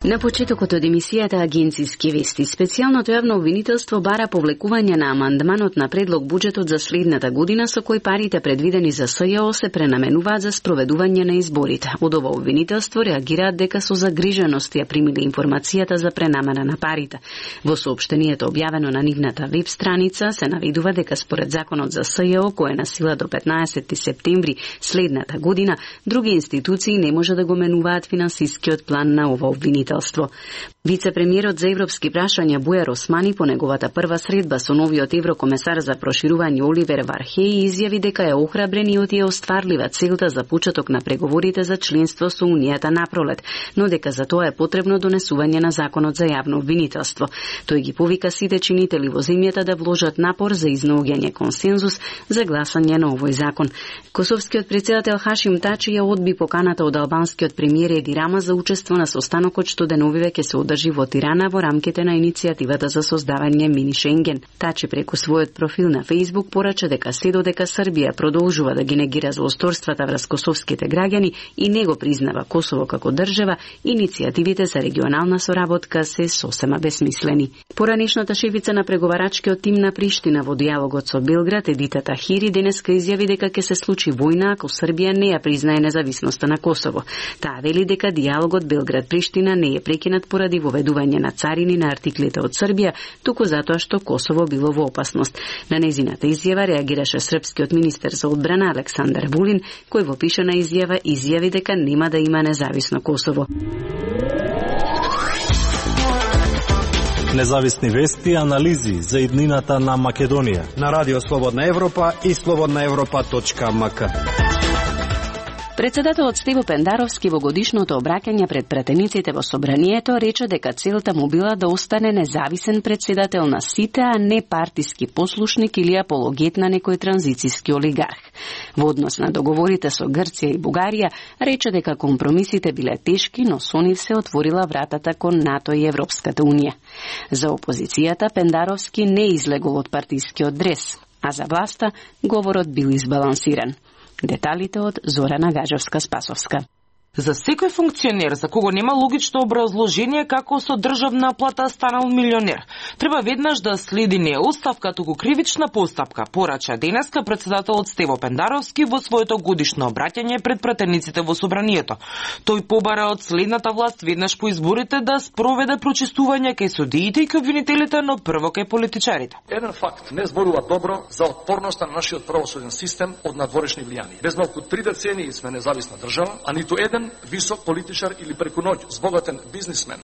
На почетокот од емисијата Агенцијски вести, специјалното јавно обвинителство бара повлекување на амандманот на предлог буџетот за следната година со кој парите предвидени за СЈО се пренаменуваат за спроведување на изборите. Од ова обвинителство реагираат дека со загриженост ја примиле информацијата за пренамена на парите. Во соопштението објавено на нивната веб страница се наведува дека според законот за СЈО, кој е на сила до 15 септември следната година, други институции не може да го менуваат финансискиот план на ова обвинителство. Вице-премиерот за европски прашања Бујар Османи по неговата прва средба со новиот еврокомесар за проширување Оливер Вархеј изјави дека е охрабрен и е остварлива целта за почеток на преговорите за членство со Унијата напролет, но дека за тоа е потребно донесување на законот за јавно обвинителство. Тој ги повика сите чинители во земјата да вложат напор за изнаоѓање консензус за гласање на овој закон. Косовскиот претседател Хашим Тачи ја одби поканата од албанскиот премиер Еди Рама за учество на состанокот што деновиве ќе се одржи во Тирана во рамките на иницијативата за создавање мини Шенген. Тачи преку својот профил на Facebook порача дека се додека Србија продолжува да ги негира злосторствата врз косовските граѓани и не го признава Косово како држава, иницијативите за регионална соработка се сосема бесмислени. Поранешната шефица на преговарачкиот тим на Приштина во дијалогот со Белград, Едита Тахири, денеска изјави дека ќе се случи војна ако Србија не ја признае независноста на Косово. Таа вели дека дијалогот Белград-Приштина не е прекинат поради воведување на царини на артиклите од Србија, туку затоа што Косово било во опасност. На незината изјава реагираше српскиот министер за одбрана Александар Вулин, кој во пишана изјава изјави дека нема да има независно Косово. Независни вести и анализи за иднината на Македонија на Радио Слободна Европа и slobodnaevropa.mk. Председателот Стево Пендаровски во годишното обраќање пред пратениците во Собранието рече дека целта му била да остане независен председател на сите, а не партиски послушник или апологет на некој транзицијски олигарх. Во однос на договорите со Грција и Бугарија, рече дека компромисите биле тешки, но со нив се отворила вратата кон НАТО и Европската Унија. За опозицијата Пендаровски не излегол од партискиот дрес, а за власта говорот бил избалансиран. Деталите од Зорана Гажевска-Спасовска. За секој функционер за кого нема логично образложение како со државна плата станал милионер, треба веднаш да следи не оставка, туку кривична постапка, порача денеска председателот Стево Пендаровски во своето годишно обраќање пред пратениците во Собранието. Тој побара од следната власт веднаш по изборите да спроведе прочистување кај судиите и кај обвинителите, но прво кај политичарите. Еден факт не зборува добро за отпорноста на нашиот правосуден систем од надворешни влијани. Без малку 3 децении сме независна држава, а ниту еден висок политичар или преку ноќ збогатен бизнисмен